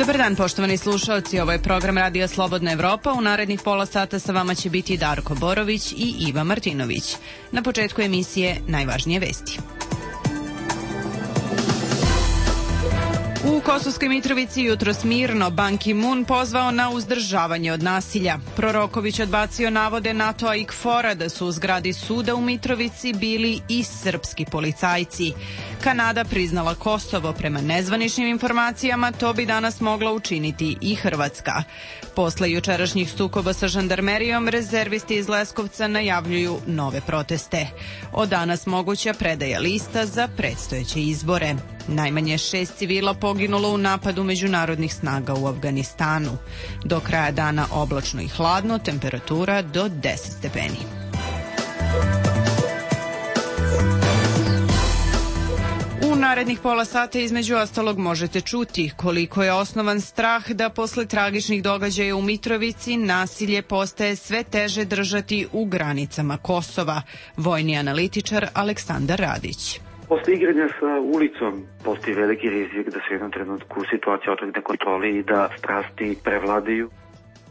Dobar dan, poštovani slušaoci, ovo je program Radija Slobodna Evropa. U narednih pola sata sa vama će biti Darko Borović i Iva Martinović. Na početku emisije najvažnije vesti. U Kosovskoj Mitrovici jutros mirno, Ban Ki-moon pozvao na uzdržavanje od nasilja. Proroković odbacio navode NATO-a i KFOR-a da su u zgradi suda u Mitrovici bili i srpski policajci. Kanada priznala Kosovo. Prema nezvaničnim informacijama to bi danas mogla učiniti i Hrvatska. Posle jučerašnjih sukoba sa žandarmerijom, rezervisti iz Leskovca najavljuju nove proteste. Od danas moguća predaja lista za predstojeće izbore. Najmanje 6 civila poginulo u napadu međunarodnih snaga u Afganistanu. Do kraja dana oblačno i hladno, temperatura do 10 stepeni. U narednih pola sata između ostalog možete čuti koliko je osnovan strah da posle tragičnih događaja u Mitrovici nasilje postaje sve teže držati u granicama Kosova. Vojni analitičar Aleksandar Radić. Posle igranja sa ulicom postoji veliki rizik da se u jednom trenutku situacija otrgne kontroli i da strasti prevladaju.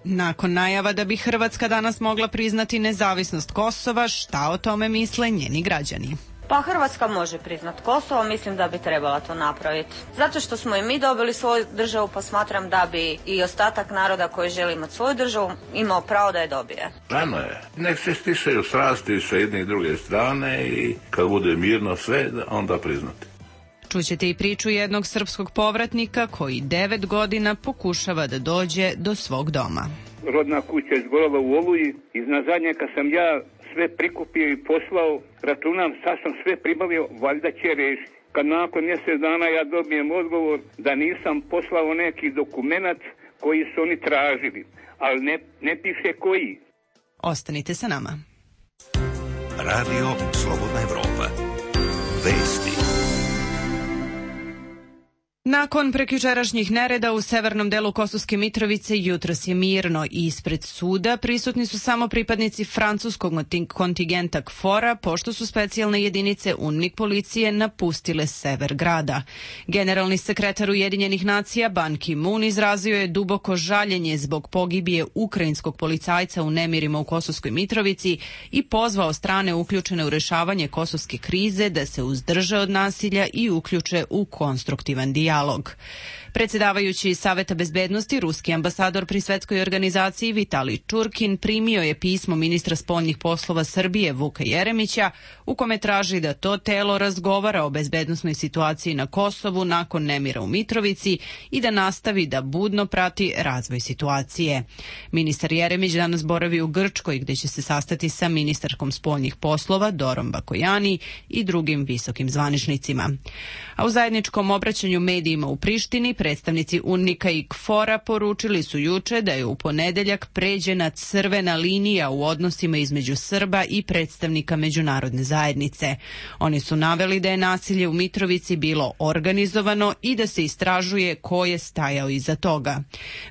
Nakon najava da bi Hrvatska danas mogla priznati nezavisnost Kosova, šta o tome misle njeni građani? Pa Hrvatska može priznat Kosovo, mislim da bi trebala to napraviti. Zato što smo i mi dobili svoju državu, pa smatram da bi i ostatak naroda koji želi imati svoju državu imao pravo da je dobije. Rano je. Nek se stišaju strasti sa jedne i druge strane i kad bude mirno sve, onda priznati. Čućete i priču jednog srpskog povratnika koji 9 godina pokušava da dođe do svog doma. Rodna kuća izgorela u Oluji. Iznad zadnjaka sam ja sve prikupio i poslao, računam, sad sam sve pribavio, valjda će rešiti. Kad nakon mjesec dana ja dobijem odgovor da nisam poslao neki dokumenat koji su oni tražili, ali ne piše koji. Ostanite sa nama. Radio Slobodna Evropa. Vesti. Nakon prekjučerašnjih nereda u severnom delu Kosovske Mitrovice jutros je mirno i ispred suda prisutni su samo pripadnici francuskog kontingenta KFOR-a, pošto su specijalne jedinice UNMIK policije napustile sever grada. Generalni sekretar Ujedinjenih nacija Ban Ki-moon izrazio je duboko žaljenje zbog pogibije ukrajinskog policajca u nemirima u Kosovskoj Mitrovici i pozvao strane uključene u rešavanje kosovske krize da se uzdrže od nasilja i uključe u konstruktivan dijalog. Predsjedavajući Saveta bezbednosti, ruski ambasador pri svetskoj organizaciji Vitalij Čurkin primio je pismo ministra spoljnih poslova Srbije Vuka Jeremića u kome traži da to telo razgovara o bezbednosnoj situaciji na Kosovu nakon nemira u Mitrovici i da nastavi da budno prati razvoj situacije. Ministar Jeremić danas boravi u Grčkoj gdje će se sastati sa ministarkom spoljnih poslova Dorom Bakojani i drugim visokim zvaničnicima. A u zajedničkom obraćanju medijima u Prištini predstavnici UNMIK-a i KFOR-a poručili su juče da je u ponedeljak pređena crvena linija u odnosima između Srba i predstavnika međunarodne zajednice. Oni su naveli da je nasilje u Mitrovici bilo organizovano i da se istražuje ko je stajao iza toga.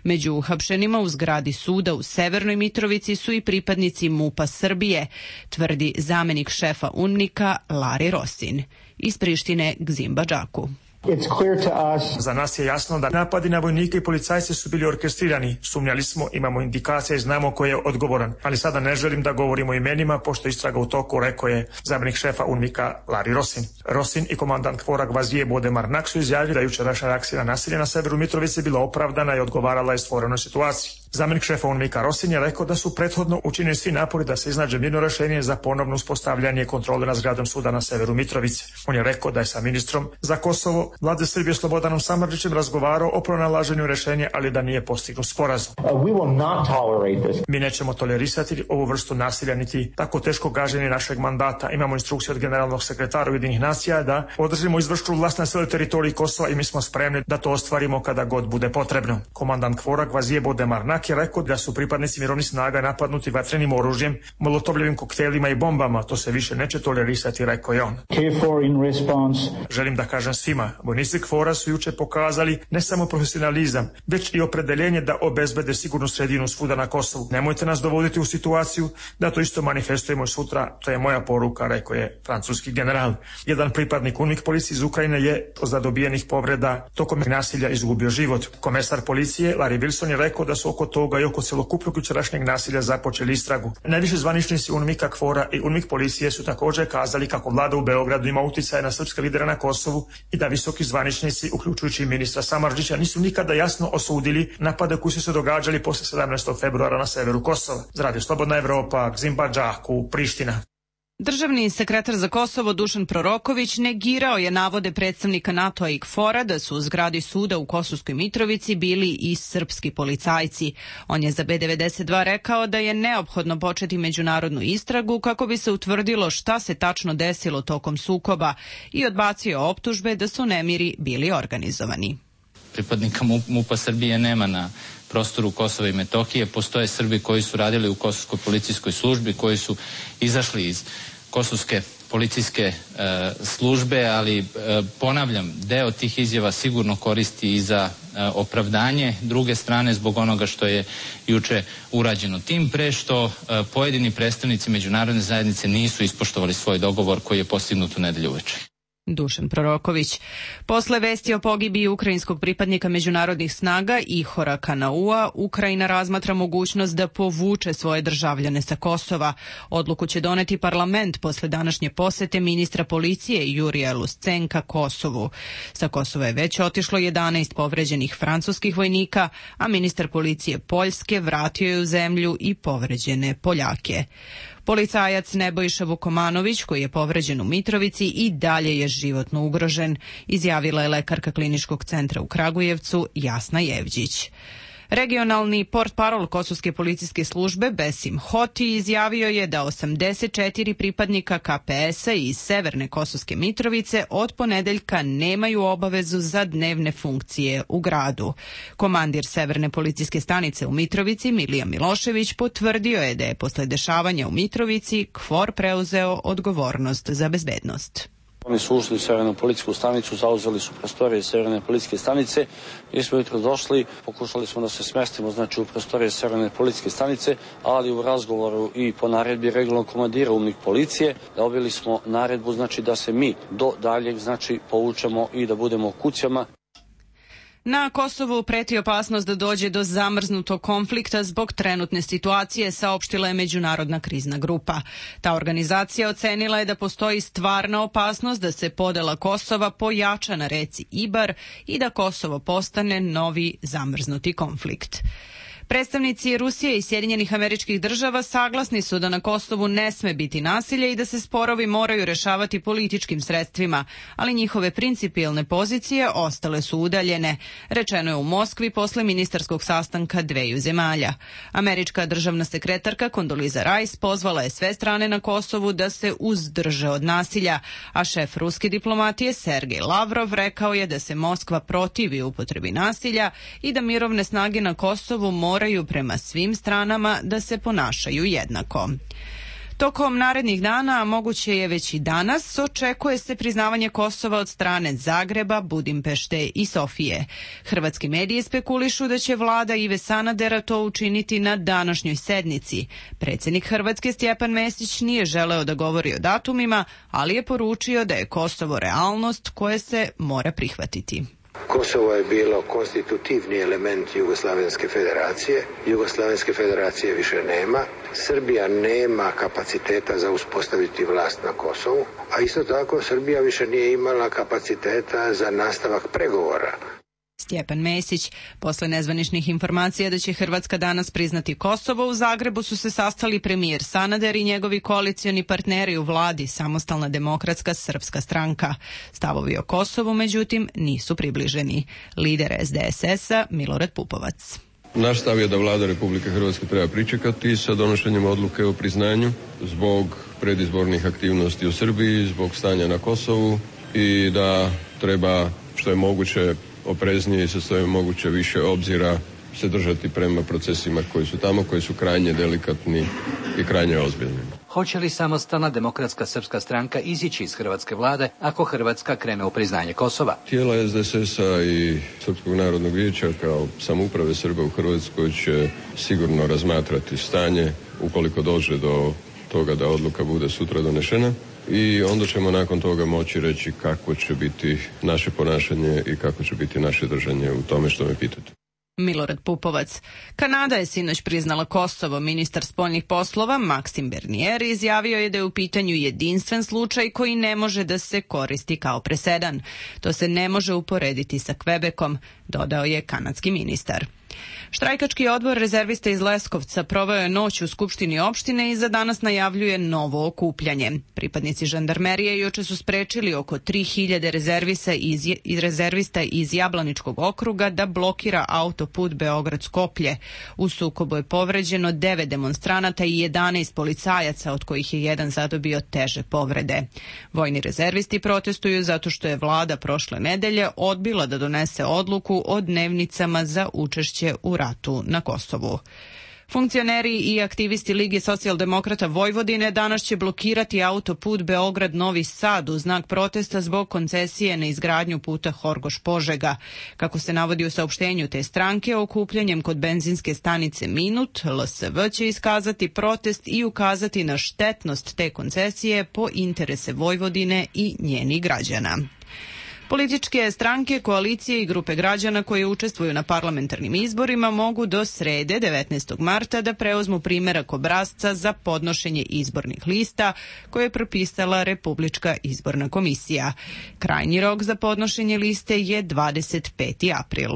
Među uhapšenima u zgradi suda u Severnoj Mitrovici su i pripadnici MUP-a Srbije, tvrdi zamenik šefa UNMIK-a Lari Rosin. Iz Prištine Gzim Badžaku. Za nas je jasno da napadi na vojnike i policajce su bili orkestrirani. Sumnjali smo, imamo indikacije i znamo ko je odgovoran. Ali sada ne želim da govorimo o imenima, pošto istraga u toku, rekao je zamjenik šefa UNMIK-a Lari Rosin. Rosin i komandant KFOR-a Gvazije Bodemarnak su izjavili da jučerašnja reakcija na nasilje na severu Mitrovice bila opravdana i odgovarala je stvorenoj situaciji. Zamjenik šefa UNMIK-a Rosin je rekao da su prethodno učinili svi napori da se iznađe mirno rešenje za ponovno uspostavljanje kontrole nad zgradom suda na severu Mitrovice. On je rekao da je sa ministrom za Kosovo Vlade Srbije Slobodanom Samardžićem razgovarao o pronalaženju rešenja, ali da nije postignut sporazum. Mi nećemo tolerisati ovu vrstu nasilja niti tako teško gaženje našeg mandata. Imamo instrukciju od generalnog sekretara Ujedinjenih nacija da održimo izvršnu vlast na cijeloj teritoriji Kosova i mi smo spremni da to ostvarimo kada god bude potrebno. Komandant KFOR-a Gvazije Bodemarnak Irak je rekao da su pripadnici mirovnih snaga napadnuti vatrenim oružjem, molotovljevim koktelima i bombama. To se više neće tolerisati, rekao je on. Želim da kažem svima, vojnici KFOR-a su juče pokazali ne samo profesionalizam, već i opredeljenje da obezbede sigurnu sredinu svuda na Kosovu. Nemojte nas dovoditi u situaciju da to isto manifestujemo sutra, to je moja poruka, rekao je francuski general. Jedan pripadnik UNMIK policije iz Ukrajine je za dobijenih povreda tokom nasilja izgubio život. Komesar policije Larry Wilson je rekao da su oko toga i oko celokupnog jučerašnjeg nasilja započeli istragu. Najviši zvaničnici UNMIK-a, KFOR-a i UNMIK policije su također kazali kako vlada u Beogradu ima uticaja na srpske lidere na Kosovu i da visoki zvaničnici, uključujući ministra Samardžića, nisu nikada jasno osudili napade koji su se događali posle 17. februara na severu Kosova. Za Radio Slobodna Evropa, Gzimbađaku, Priština. Državni sekretar za Kosovo Dušan Proroković negirao je navode predstavnika NATO-a i KFOR-a da su u zgradi suda u Kosovskoj Mitrovici bili i srpski policajci. On je za B92 rekao da je neophodno početi međunarodnu istragu kako bi se utvrdilo šta se tačno desilo tokom sukoba i odbacio optužbe da su nemiri bili organizovani. Pripadnika MUP-a Srbije nema na prostoru Kosova i Metohije. Postoje Srbi koji su radili u Kosovskoj policijskoj službi, koji su izašli iz Kosovske policijske službe, ali ponavljam, deo tih izjava sigurno koristi i za opravdanje druge strane zbog onoga što je juče urađeno. Tim pre što pojedini predstavnici međunarodne zajednice nisu ispoštovali svoj dogovor koji je postignut u nedelju uveče. Dušan Proroković. Posle vesti o pogibiji ukrajinskog pripadnika međunarodnih snaga Ihora Kanaua, Ukrajina razmatra mogućnost da povuče svoje državljane sa Kosova. Odluku će doneti parlament posle današnje posete ministra policije Jurija Luscenka Kosovu. Sa Kosova je već otišlo 11 povređenih francuskih vojnika, a ministar policije Poljske vratio je u zemlju i povređene Poljake. Policajac Nebojša Vukomanović, koji je povređen u Mitrovici, i dalje je životno ugrožen, izjavila je lekarka Kliničkog centra u Kragujevcu Jasna Jevđić. Regionalni portparol Kosovske policijske službe Besim Hoti izjavio je da 84 pripadnika KPS-a iz Severne Kosovske Mitrovice od ponedeljka nemaju obavezu za dnevne funkcije u gradu. Komandir Severne policijske stanice u Mitrovici Milija Milošević potvrdio je da je posle dešavanja u Mitrovici KFOR preuzeo odgovornost za bezbednost. Oni su ušli u Severnu policijsku stanicu, zauzeli su prostorije Severne policijske stanice. Mi smo jutro došli, pokušali smo da se smestimo u prostorije Severne policijske stanice, ali u razgovoru i po naredbi regionalnog komandira UNMIK policije dobili smo naredbu da se mi do daljeg povučemo i da budemo u kućama. Na Kosovu preti opasnost da dođe do zamrznutog konflikta zbog trenutne situacije, saopštila je Međunarodna krizna grupa. Ta organizacija ocenila je da postoji stvarna opasnost da se podela Kosova pojača na reci Ibar i da Kosovo postane novi zamrznuti konflikt. Predstavnici Rusije i Sjedinjenih Američkih Država saglasni su da na Kosovu ne sme biti nasilje i da se sporovi moraju rešavati političkim sredstvima, ali njihove principijelne pozicije ostale su udaljene, rečeno je u Moskvi posle ministarskog sastanka dveju zemalja. Američka državna sekretarka Kondoliza Rice pozvala je sve strane na Kosovu da se uzdrže od nasilja, a šef ruske diplomatije Sergej Lavrov rekao je da se Moskva protivi upotrebi nasilja i da mirovne snage na Kosovu moraju prema svim stranama da se ponašaju jednako. Tokom narednih dana, a moguće je već i danas, očekuje se priznavanje Kosova od strane Zagreba, Budimpešte i Sofije. Hrvatski mediji spekulišu da će vlada Ive Sanadera to učiniti na današnjoj sednici. Predsjednik Hrvatske Stjepan Mesić nije želeo da govori o datumima, ali je poručio da je Kosovo realnost koje se mora prihvatiti. Kosovo je bilo konstitutivni element Jugoslavenske federacije. Jugoslavenske federacije više nema. Srbija nema kapaciteta za uspostaviti vlast na Kosovu, a isto tako Srbija više nije imala kapaciteta za nastavak pregovora. Stjepan Mesić. Posle nezvaničnih informacija da će Hrvatska danas priznati Kosovo, u Zagrebu su se sastali premijer Sanader i njegovi koalicioni partneri u vladi, Samostalna demokratska srpska stranka. Stavovi o Kosovu, međutim, nisu približeni. Lider SDSS-a Milorad Pupovac. Naš stav je da vlada Republike Hrvatske treba pričekati sa donošenjem odluke o priznanju zbog predizbornih aktivnosti u Srbiji, zbog stanja na Kosovu i da treba što je moguće opreznije i sa što je moguće više obzira se držati prema procesima koji su tamo, koji su krajnje delikatni i krajnje ozbiljni. Hoće li samostalna demokratska srpska stranka izići iz hrvatske vlade ako Hrvatska krene u priznanje Kosova? Tijela SDSS-a i Srpskog narodnog vijeća kao samouprave Srba u Hrvatskoj će sigurno razmatrati stanje ukoliko dođe do toga da odluka bude sutra donešena i onda ćemo nakon toga moći reći kako će biti naše ponašanje i kako će biti naše držanje u tome što me pitate. Milorad Pupovac. Kanada je sinoć priznala Kosovo. Ministar spoljnih poslova Maksim Bernier izjavio je da je u pitanju jedinstven slučaj koji ne može da se koristi kao presedan. To se ne može uporediti sa Kvebekom, dodao je kanadski ministar. Štrajkački odbor rezervista iz Leskovca proveo je noć u Skupštini opštine i za danas najavljuje novo okupljanje. Pripadnici žandarmerije juče su sprečili oko 3000 rezervista iz Jablaničkog okruga da blokira autoput Beograd-Skoplje. U sukobu je povređeno 9 demonstranata i 11 policajaca, od kojih je jedan zadobio teže povrede. Vojni rezervisti protestuju zato što je vlada prošle nedelje odbila da donese odluku o dnevnicama za učešće u ratu na Kosovu. Funkcioneri i aktivisti Lige socijaldemokrata Vojvodine danas će blokirati autoput Beograd-Novi Sad u znak protesta zbog koncesije na izgradnju puta Horgoš-Požega. Kako se navodi u saopštenju te stranke, okupljanjem kod benzinske stanice Minut, LSV će iskazati protest i ukazati na štetnost te koncesije po interese Vojvodine i njenih građana. Političke stranke, koalicije i grupe građana koje učestvuju na parlamentarnim izborima mogu do srede 19. marta da preuzmu primerak obrasca za podnošenje izbornih lista koje je propisala Republička izborna komisija. Krajnji rok za podnošenje liste je 25. april.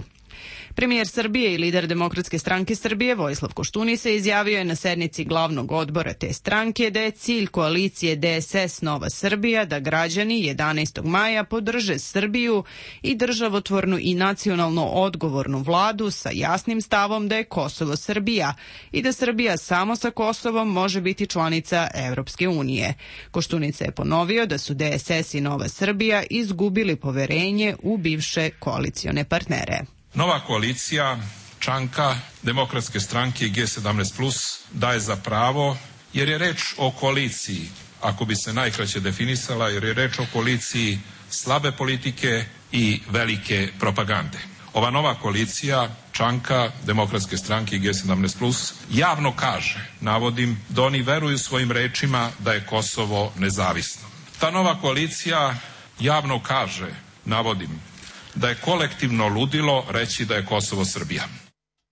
Premijer Srbije i lider Demokratske stranke Srbije Vojislav Koštunica izjavio je na sednici glavnog odbora te stranke da je cilj koalicije DSS Nova Srbija da građani 11. maja podrže Srbiju i državotvornu i nacionalno odgovornu vladu sa jasnim stavom da je Kosovo Srbija i da Srbija samo sa Kosovom može biti članica Evropske unije. Koštunica je ponovio da su DSS i Nova Srbija izgubili poverenje u bivše koalicione partnere. Nova koalicija Čanka, Demokratske stranke i G17+ daje za pravo, jer je reč o koaliciji, ako bi se najkraće definisala, jer je reč o koaliciji slabe politike i velike propagande. Ova nova koalicija Čanka, Demokratske stranke i G17+ javno kaže, navodim, da oni veruju svojim rečima da je Kosovo nezavisno. Ta nova koalicija javno kaže, navodim, da je kolektivno ludilo reći da je Kosovo Srbija.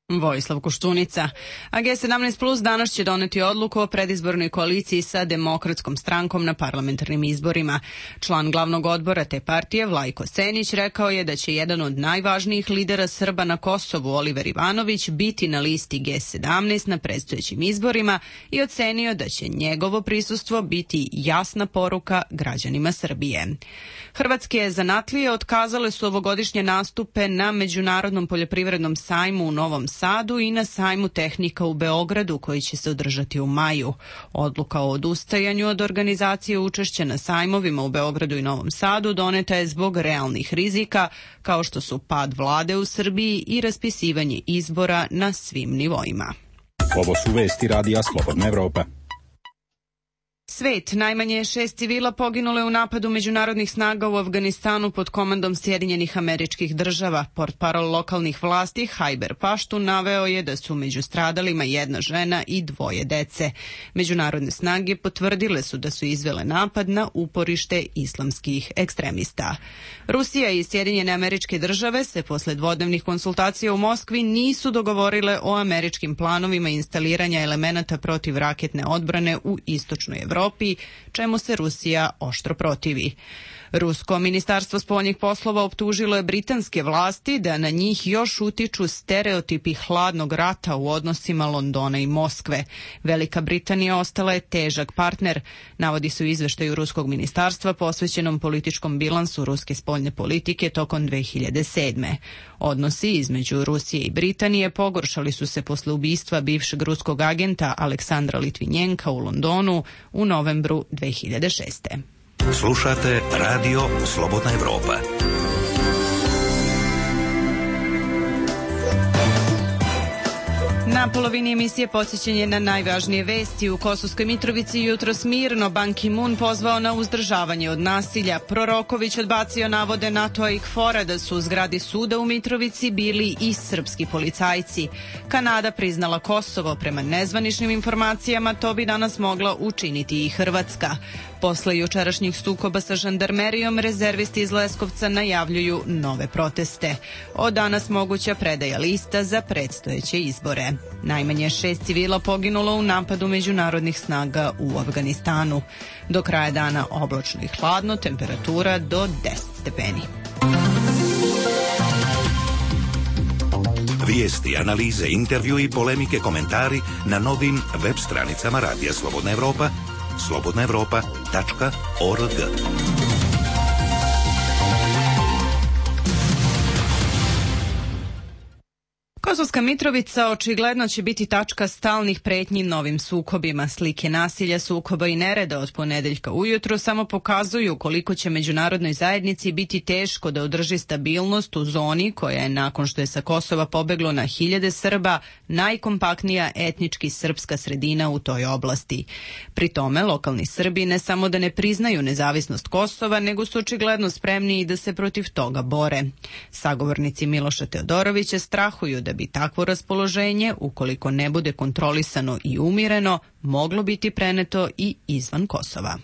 Vojislav Koštunica. A G17+ danas će doneti odluku o predizbornoj koaliciji sa Demokratskom strankom na parlamentarnim izborima. Član glavnog odbora te partije, Vlajko Senić, rekao je da će jedan od najvažnijih lidera Srba na Kosovu, Oliver Ivanović, biti na listi G17 na predstojećim izborima i ocenio da će njegovo prisustvo biti jasna poruka građanima Srbije. Hrvatske zanatlije otkazale su ovogodišnje nastupe na Međunarodnom poljoprivrednom sajmu u Novom Sadu i na sajmu tehnika u Beogradu koji će se održati u maju. Odluka o odustajanju od organizacije učešća na sajmovima u Beogradu i Novom Sadu doneta je zbog realnih rizika kao što su pad vlade u Srbiji i raspisivanje izbora na svim nivoima. Ovo su vesti Radija Slobodna Evropa. Svet, najmanje 6 civila poginule u napadu međunarodnih snaga u Afganistanu pod komandom Sjedinjenih Američkih Država. Portparol lokalnih vlasti Hajber Paštun naveo je da su među stradalima jedna žena i 2 dece. Međunarodne snage potvrdile su da su izvele napad na uporište islamskih ekstremista. Rusija i Sjedinjene Američke Države se posle dvodnevnih konsultacija u Moskvi nisu dogovorile o američkim planovima instaliranja elemenata protivraketne odbrane u istočnoj Evropi, čemu se Rusija oštro protivi. Rusko ministarstvo spoljnih poslova optužilo je britanske vlasti da na njih još utiču stereotipi hladnog rata u odnosima Londona i Moskve. Velika Britanija ostala je težak partner, navodi se u izveštaju ruskog ministarstva posvećenom političkom bilansu ruske spoljne politike tokom 2007. Odnosi između Rusije i Britanije pogoršali su se posle ubistva bivšeg ruskog agenta Aleksandra Litvinjenka u Londonu u novembru 2006. Slušate Radio Slobodna Evropa. Na polovini emisije podsjećanje na najvažnije vesti. U Kosovskoj Mitrovici jutros mirno. Ban Ki-moon pozvao na uzdržavanje od nasilja. Proroković odbacio navode NATO-a i KFOR-a da su u zgradi suda u Mitrovici bili i srpski policajci. Kanada priznala Kosovo. Prema nezvaničnim informacijama to bi danas mogla učiniti i Hrvatska. Posle jučerašnjih sukoba sa žandarmerijom, rezervisti iz Leskovca najavljuju nove proteste. Od danas moguća predaja lista za predstojeće izbore. Najmanje 6 civila poginulo u napadu međunarodnih snaga u Afganistanu. Do kraja dana oblačno i hladno, temperatura do 10 stepeni. Vijesti, analize, intervju i polemike, komentari na novim web stranicama Radija Slobodna Evropa, slobodnaevropa.org. Kosovska Mitrovica očigledno će biti tačka stalnih pretnji novim sukobima. Slike nasilja, sukoba i nereda od ponedeljka ujutru samo pokazuju koliko će međunarodnoj zajednici biti teško da održi stabilnost u zoni koja je, nakon što je sa Kosova pobeglo na hiljade Srba, najkompaktnija etnički srpska sredina u toj oblasti. Pri tome, lokalni Srbi ne samo da ne priznaju nezavisnost Kosova, nego su očigledno spremni i da se protiv toga bore. Sagovornici Miloša Teodorovića strahuju da bi takvo raspoloženje, ukoliko ne bude kontrolisano i umireno, moglo biti preneto i izvan Kosova.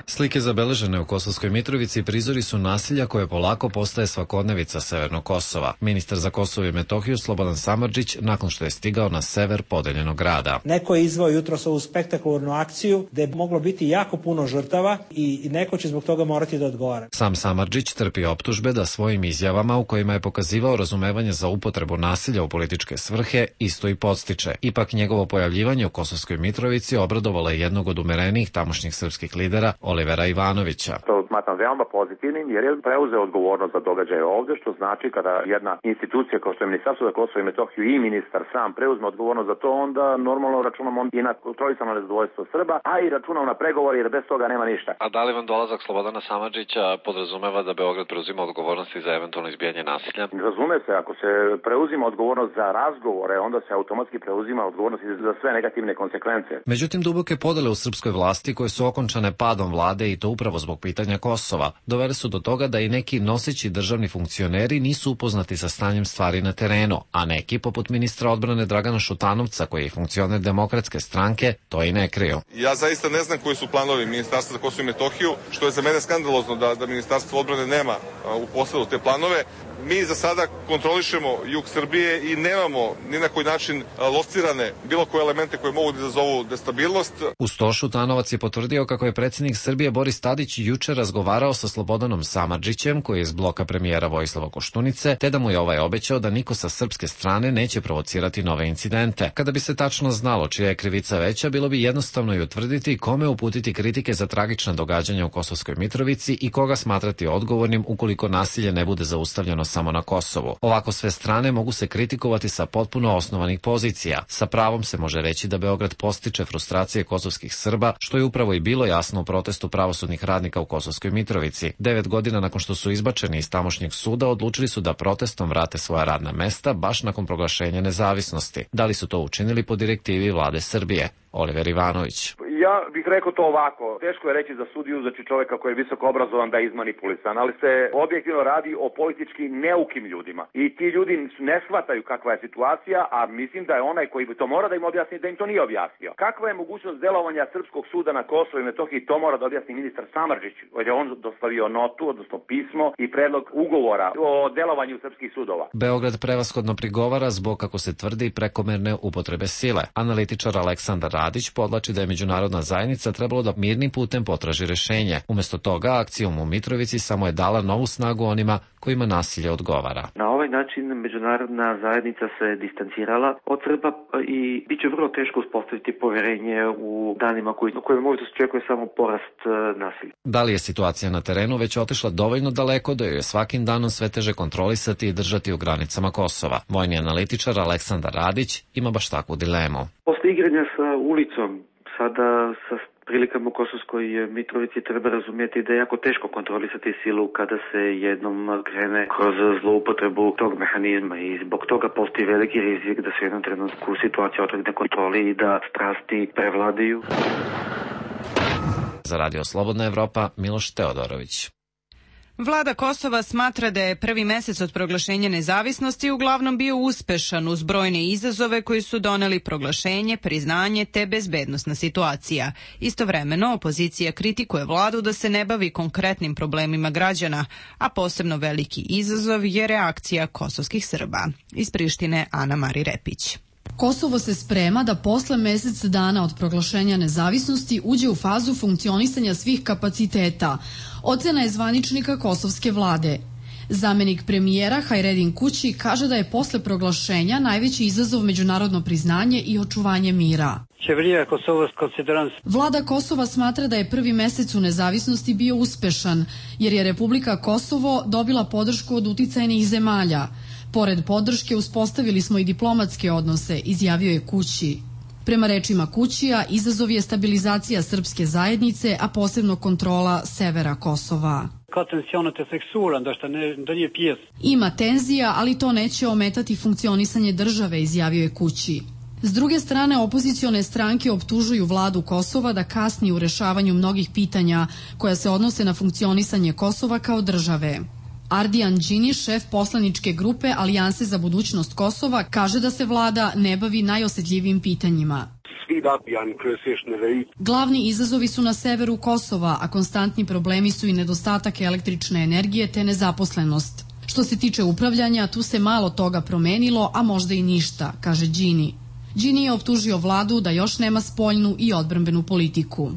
Slike zabeležene u Kosovskoj Mitrovici prizori su nasilja koje polako postaje svakodnevica severnog Kosova. Ministar za Kosovo i Metohiju Slobodan Samardžić, nakon što je stigao na sever podeljenog grada. Neko je izveo jutros ovu spektakularnu akciju gde je moglo biti jako puno žrtava i neko će zbog toga morati da odgovara. Sam Samardžić trpi optužbe da svojim izjavama u kojima je pokazivao razumevanje za upotrebu nasilja u političke svrhe isto i podstiče. Ipak njegovo pojavljivanje u Kosovskoj Mitrovici obradovalo je jednog od umerenijih tamošnjih srpskih lidera, Olivera Ivanovića. To smatram veoma pozitivnim jer je preuzeo odgovornost za događaje ovde, što znači kada jedna institucija kao što je Ministarstvo za Kosovo i Metohiju i ministar sam preuzme odgovornost za to, onda normalno računamo i na kontrolisano nezadovoljstvo Srba, a i računamo na pregovor jer bez toga nema ništa. A da li vam dolazak Slobodana Samardžića podrazumeva da Beograd preuzima odgovornosti za eventualno izbijanje nasilja? Razume se, ako se preuzima odgovornost za razgovore, onda se automatski preuzima odgovornost za sve negativne konsekvence. Međutim, duboke podele u srpskoj vlasti koje su okončane padom vlade i to upravo zbog pitanja Kosova, dovele su do toga da i neki noseći državni funkcioneri nisu upoznati sa stanjem stvari na terenu, a neki, poput ministra odbrane Dragana Šutanovca, koji je funkcioner Demokratske stranke, to i ne kriju. Ja zaista ne znam koji su planovi Ministarstva za Kosovo i Metohiju, što je za mene skandalozno da Ministarstvo odbrane nema u posledu te planove. Mi za sada kontrolišemo jug Srbije i nemamo ni na koji način locirane bilo koje elemente koje mogu da izazovu destabilnost. Uz to Šutanovac je potvrdio kako je predsjednik Srbije Boris Tadić juče razgovarao sa Slobodanom Samardžićem, koji je iz bloka premijera Vojislava Koštunice, te da mu je ovaj obećao da niko sa srpske strane neće provocirati nove incidente. Kada bi se tačno znalo čija je krivica veća, bilo bi jednostavno i utvrditi kome uputiti kritike za tragična događanja u Kosovskoj Mitrovici i koga smatrati odgovornim ukoliko nasilje ne bude zaustavljeno samo na Kosovu. Ovako sve strane mogu se kritikovati sa potpuno osnovanih pozicija. Sa pravom se može reći da Beograd postiče frustracije kosovskih Srba, što je upravo i bilo jasno u protestu pravosudnih radnika u Kosovskoj Mitrovici. 9 godina nakon što su izbačeni iz tamošnjeg suda, odlučili su da protestom vrate svoja radna mesta baš nakon proglašenja nezavisnosti. Da li su to učinili po direktivi vlade Srbije? Oliver Ivanović. Ja bih rekao to ovako. Teško je reći za sudiju, znači čoveka koji je visoko obrazovan da je izmanipulisan, ali se objektivno radi o politički neukim ljudima. I ti ljudi ne shvataju kakva je situacija, a mislim da je onaj koji to mora da im objasni, da im to nije objasnio. Kakva je mogućnost delovanja Srpskog suda na Kosovo i Metohiji, to mora da objasni ministar Samardžić, jer je on dostavio notu, odnosno pismo i predlog ugovora o delovanju srpskih sudova. Beograd prevashodno prigovara zbog, kako se tvrdi, prekomerne upotrebe sile. Analitičar Aleksandar Radić podlači da je međunarodna zajednica trebalo da mirnim putem potraži rešenje. Umesto toga, akcijom u Mitrovici samo je dala novu snagu onima kojima nasilje odgovara. Na ovaj način međunarodna zajednica se distancirala od Srba i bit će vrlo teško uspostaviti poverenje u danima koje možda se očekuje samo porast nasilja. Da li je situacija na terenu već otišla dovoljno daleko da joj je svakim danom sve teže kontrolisati i držati u granicama Kosova? Vojni analitičar Aleksandar Radić ima baš takvu dilemu. Posle igranja sa ulicom, sada sa prilikama u Kosovskoj Mitrovici treba razumjeti da je jako teško kontrolisati silu kada se jednom krene kroz zloupotrebu tog mehanizma i zbog toga postoji veliki rizik da se u jednom trenutku situacija otrgne kontroli i da strasti prevladaju. Za Radio Slobodna Evropa, Miloš Teodorović. Vlada Kosova smatra da je prvi mesec od proglašenja nezavisnosti uglavnom bio uspešan uz brojne izazove koji su doneli proglašenje, priznanje te bezbednosna situacija. Istovremeno, opozicija kritikuje vladu da se ne bavi konkretnim problemima građana, a posebno veliki izazov je reakcija kosovskih Srba. Iz Prištine, Ana Mari Repić. Kosovo se sprema da posle mesec dana od proglašenja nezavisnosti uđe u fazu funkcionisanja svih kapaciteta. Ocena je zvaničnika kosovske vlade. Zamenik premijera Hajredin Kući kaže da je posle proglašenja najveći izazov međunarodno priznanje i očuvanje mira. Vlada Kosova smatra da je prvi mesec u nezavisnosti bio uspešan, jer je Republika Kosovo dobila podršku od uticajnih zemalja. Pored podrške uspostavili smo i diplomatske odnose, izjavio je Kući. Prema rečima Kućija, izazov je stabilizacija srpske zajednice, a posebno kontrola severa Kosova. Ima tenzija, ali to neće ometati funkcionisanje države, izjavio je Kući. S druge strane, opozicione stranke optužuju vladu Kosova da kasni u rešavanju mnogih pitanja koja se odnose na funkcionisanje Kosova kao države. Ardijan Đini, šef poslaničke grupe Alijanse za budućnost Kosova, kaže da se vlada ne bavi najosetljivim pitanjima. Glavni izazovi su na severu Kosova, a konstantni problemi su i nedostatak električne energije te nezaposlenost. Što se tiče upravljanja, tu se malo toga promenilo, a možda i ništa, kaže Đini. Đini je optužio vladu da još nema spoljnu i odbrambenu politiku.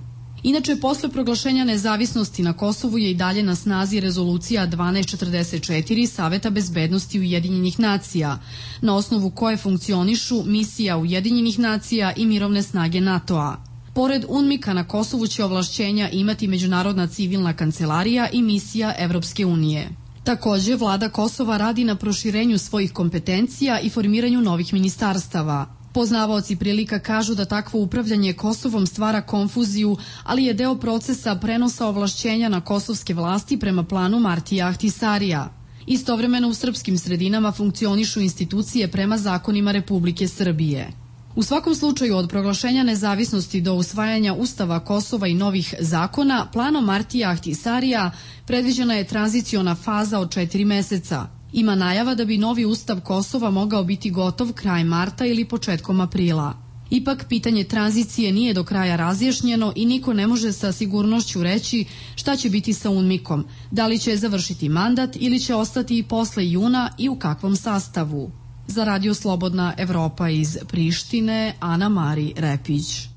Inače, posle proglašenja nezavisnosti na Kosovu je i dalje na snazi rezolucija 1244 Saveta bezbednosti Ujedinjenih nacija, na osnovu koje funkcionišu misija Ujedinjenih nacija i mirovne snage NATO-a. Pored UNMIK-a na Kosovu će ovlašćenja imati Međunarodna civilna kancelarija i misija Evropske unije. Takođe, vlada Kosova radi na proširenju svojih kompetencija i formiranju novih ministarstava. Poznavaoci prilika kažu da takvo upravljanje Kosovom stvara konfuziju, ali je deo procesa prenosa ovlašćenja na kosovske vlasti prema planu Martija Ahtisarija. Istovremeno u srpskim sredinama funkcionišu institucije prema zakonima Republike Srbije. U svakom slučaju, od proglašenja nezavisnosti do usvajanja Ustava Kosova i novih zakona, planom Martija Ahtisarija predviđena je tranziciona faza od 4 meseca. Ima najava da bi novi ustav Kosova mogao biti gotov kraj marta ili početkom aprila. Ipak, pitanje tranzicije nije do kraja razjašnjeno i niko ne može sa sigurnošću reći šta će biti sa UNMIK-om, da li će završiti mandat ili će ostati i posle juna i u kakvom sastavu. Za Radio Slobodna Evropa iz Prištine, Ana Mari Repić.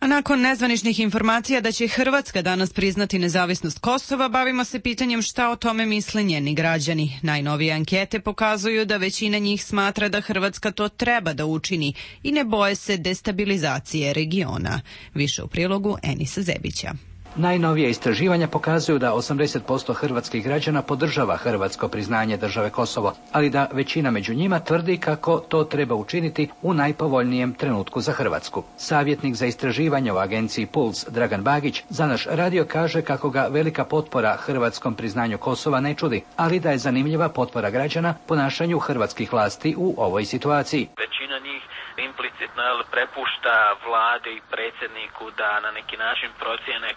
A nakon nezvaničnih informacija da će Hrvatska danas priznati nezavisnost Kosova, bavimo se pitanjem šta o tome misle njeni građani. Najnovije ankete pokazuju da većina njih smatra da Hrvatska to treba da učini i ne boje se destabilizacije regiona. Više u prilogu Enisa Zebića. Najnovije istraživanja pokazuju da 80% hrvatskih građana podržava hrvatsko priznanje države Kosovo, ali da većina među njima tvrdi kako to treba učiniti u najpovoljnijem trenutku za Hrvatsku. Savjetnik za istraživanje u agenciji Puls Dragan Bagić za naš radio kaže kako ga velika potpora hrvatskom priznanju Kosova ne čudi, ali da je zanimljiva potpora građana ponašanju hrvatskih vlasti u ovoj situaciji. Većina njih implicitno prepušta vladi i predsjedniku da na neki način procijene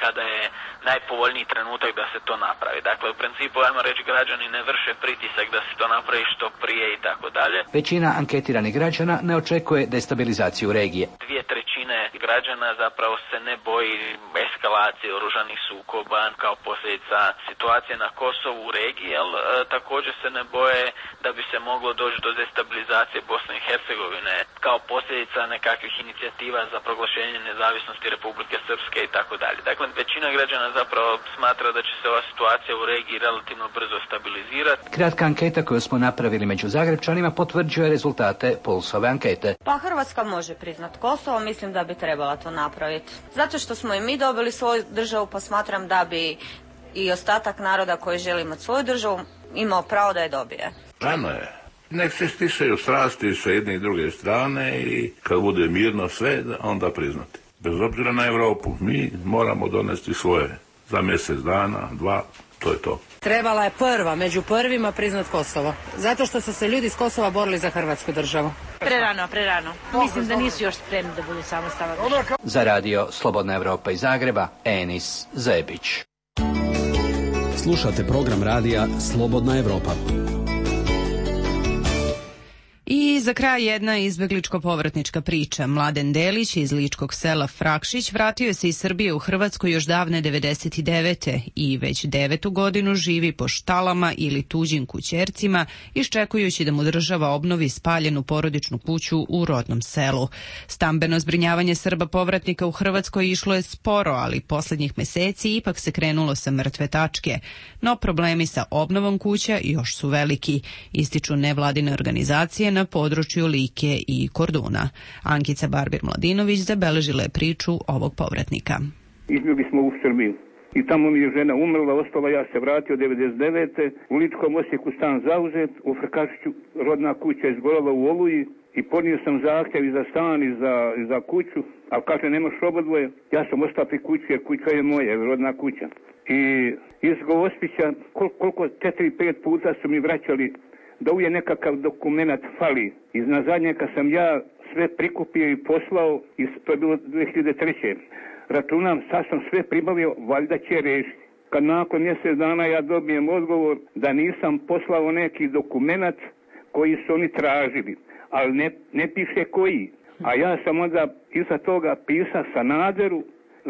kada je najpovoljniji trenutak da se to napravi. Dakle, u principu, ajmo reći, građani ne vrše pritisak da se to napravi što prije i tako dalje. Većina anketiranih građana ne očekuje destabilizaciju regije. 2/3 građana zapravo se ne boji eskalacije oružanih sukoba kao posljedica situacije na Kosovu u regiji, ali također se ne boje da bi se moglo doći do destabilizacije Bosne i Hercegovine kao posljedica nekakvih inicijativa za proglašenje nezavisnosti Republike Srpske i tako dalje. Dakle, većina građana zapravo smatra da će se ova situacija u regiji relativno brzo stabilizirati. Kratka anketa koju smo napravili među Zagrebčanima potvrđuje rezultate Pulsove ankete. Pa Hrvatska može priznat Kosovo, mislim da bi trebala to napraviti. Zato što smo i mi dobili svoju državu, pa smatram da bi i ostatak naroda koji želi imati svoju državu imao pravo da je dobije. Rano je. Nek se stisaju strasti sa jedne i druge strane i kad bude mirno sve, onda priznati. Bez obzira na Europu, mi moramo donesti svoje za mjesec dana, 2, to je to. Trebala je prva, među prvima priznat Kosovo. Zato što su se ljudi iz Kosova borili za Hrvatsku državu. Prerano. Mislim da nisu još spremni da budu samostalna. Za radio Slobodna Evropa iz Zagreba, Enis Zebić. Slušate program radija Slobodna Evropa. I za kraj jedna izbegličko-povratnička priča. Mladen Delić iz ličkog sela Frakšić vratio se iz Srbije u Hrvatsku još davne 99. i već 9. godinu živi po štalama ili tuđim kućercima, iščekujući da mu država obnovi spaljenu porodičnu kuću u rodnom selu. Stambeno zbrinjavanje Srba povratnika u Hrvatskoj išlo je sporo, ali posljednjih meseci ipak se krenulo sa mrtve tačke. No problemi sa obnovom kuća još su veliki, ističu nevladine organizacije na području Like i Korduna. Ankica Barbir-Mladinović zabeležila je priču ovog povratnika. Izbjegli smo u Srbiju i tamo mi je žena umrla, ostala, ja se vratio 99. U Ličkom Osijeku stan zauzet, u Frkašiću rodna kuća izgorela u Oluji i podnio sam zahtjev i za stan i za kuću, ali kaže nemaš obodvoje, ja sam ostao pri kući jer kuća je moja, rodna kuća. I iz Gospića koliko 4-5 puta su mi vraćali da uvijek nekakav dokument fali. Na zadnje kad sam ja sve prikupio i poslao, i to je bilo 2003. Računam, sad sam sve pribavio, valjda će rešiti. Kad nakon mjesec dana ja dobijem odgovor da nisam poslao neki dokument koji su oni tražili, ali ne piše koji. A ja sam onda iza toga pisao Sanaderu,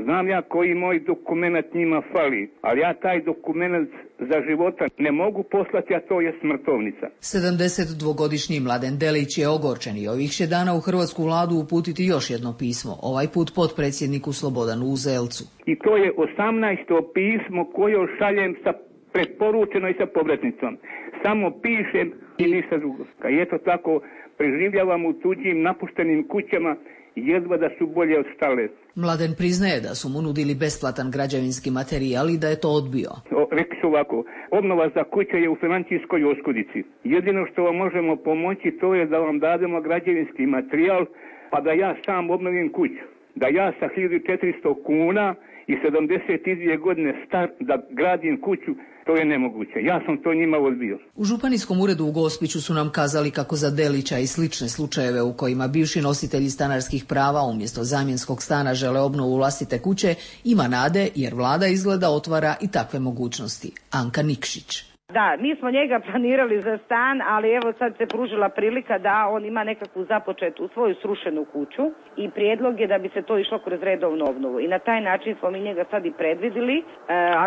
znam ja koji moj dokument njima fali, ali ja taj dokument za života ne mogu poslati, a to je smrtovnica. 72-godišnji Mladen Delić je ogorčen i ovih će dana u hrvatsku vladu uputiti još jedno pismo, ovaj put potpredsjedniku Slobodanu Uzelcu. I to je 18. pismo koje šaljem sa preporučeno i sa povratnicom. Samo pišem i ništa drugo. Kad je to tako, preživljavam u tuđim napuštenim kućama, jedva da su bolje od štale. Mladen priznaje da su mu nudili besplatan građevinski materijal i da je to odbio. Rekli su ovako, obnova za kuće je u financijskoj oskudici. Jedino što vam možemo pomoći to je da vam dademo građevinski materijal, pa da ja sam obnovim kuću. Da ja sa 1400 kuna i 72 godine star da gradim kuću, to je nemoguće. Ja sam to njima odbio. U županijskom uredu u Gospiću su nam kazali kako za Delića i slične slučajeve u kojima bivši nositelji stanarskih prava umjesto zamjenskog stana žele obnovu vlastite kuće, ima nade jer vlada izgleda otvara i takve mogućnosti. Anka Nikšić. Da, mi smo njega planirali za stan, ali evo sad se pružila prilika da on ima nekakvu započetu svoju srušenu kuću i prijedlog je da bi se to išlo kroz redovnu obnovu. I na taj način smo mi njega sad i predvidili.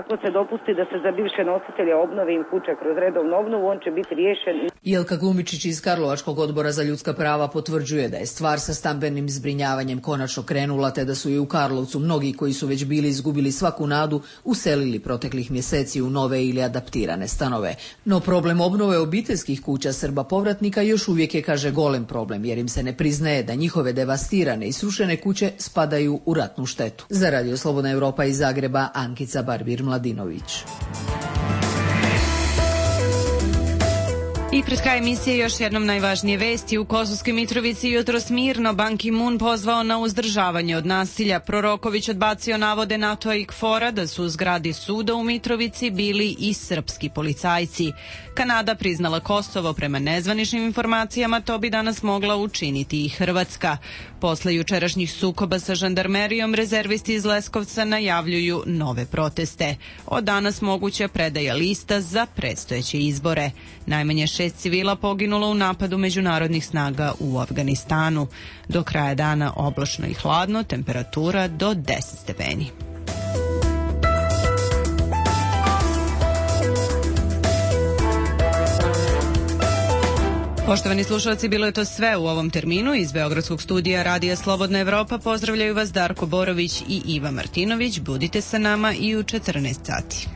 Ako se dopusti da se za bivše nositelje obnove im kuće kroz redovnu obnovu, on će biti riješen. Jelka Glumičić iz Karlovačkog odbora za ljudska prava potvrđuje da je stvar sa stambenim zbrinjavanjem konačno krenula, te da su i u Karlovcu mnogi koji su već bili izgubili svaku nadu uselili proteklih mjeseci u nove ili adaptirane stanove. No problem obnove obiteljskih kuća Srba povratnika još uvijek je, kaže, golem problem, jer im se ne priznaje da njihove devastirane i srušene kuće spadaju u ratnu štetu. Za Radio Slobodna Evropa iz Zagreba, Ankica Barbir-Mladinović. I pred kraj emisije još jednom najvažnije vesti. U Kosovskoj Mitrovici jutros mirno Ban Ki-moon pozvao na uzdržavanje od nasilja. Proroković odbacio navode NATO-a i KFOR-a da su u zgradi suda u Mitrovici bili i srpski policajci. Kanada priznala Kosovo, prema nezvaničnim informacijama to bi danas mogla učiniti i Hrvatska. Posle jučerašnjih sukoba sa žandarmerijom, rezervisti iz Leskovca najavljuju nove proteste. Od danas moguća predaja lista za predstojeće izbore. Najmanje 6 civila poginulo u napadu međunarodnih snaga u Afganistanu. Do kraja dana oblačno i hladno, temperatura do 10 stepeni. Poštovani slušalci, bilo je to sve u ovom terminu. Iz Beogradskog studija Radija Slobodna Evropa pozdravljaju vas Darko Borović i Iva Martinović. Budite sa nama i u 14 sati.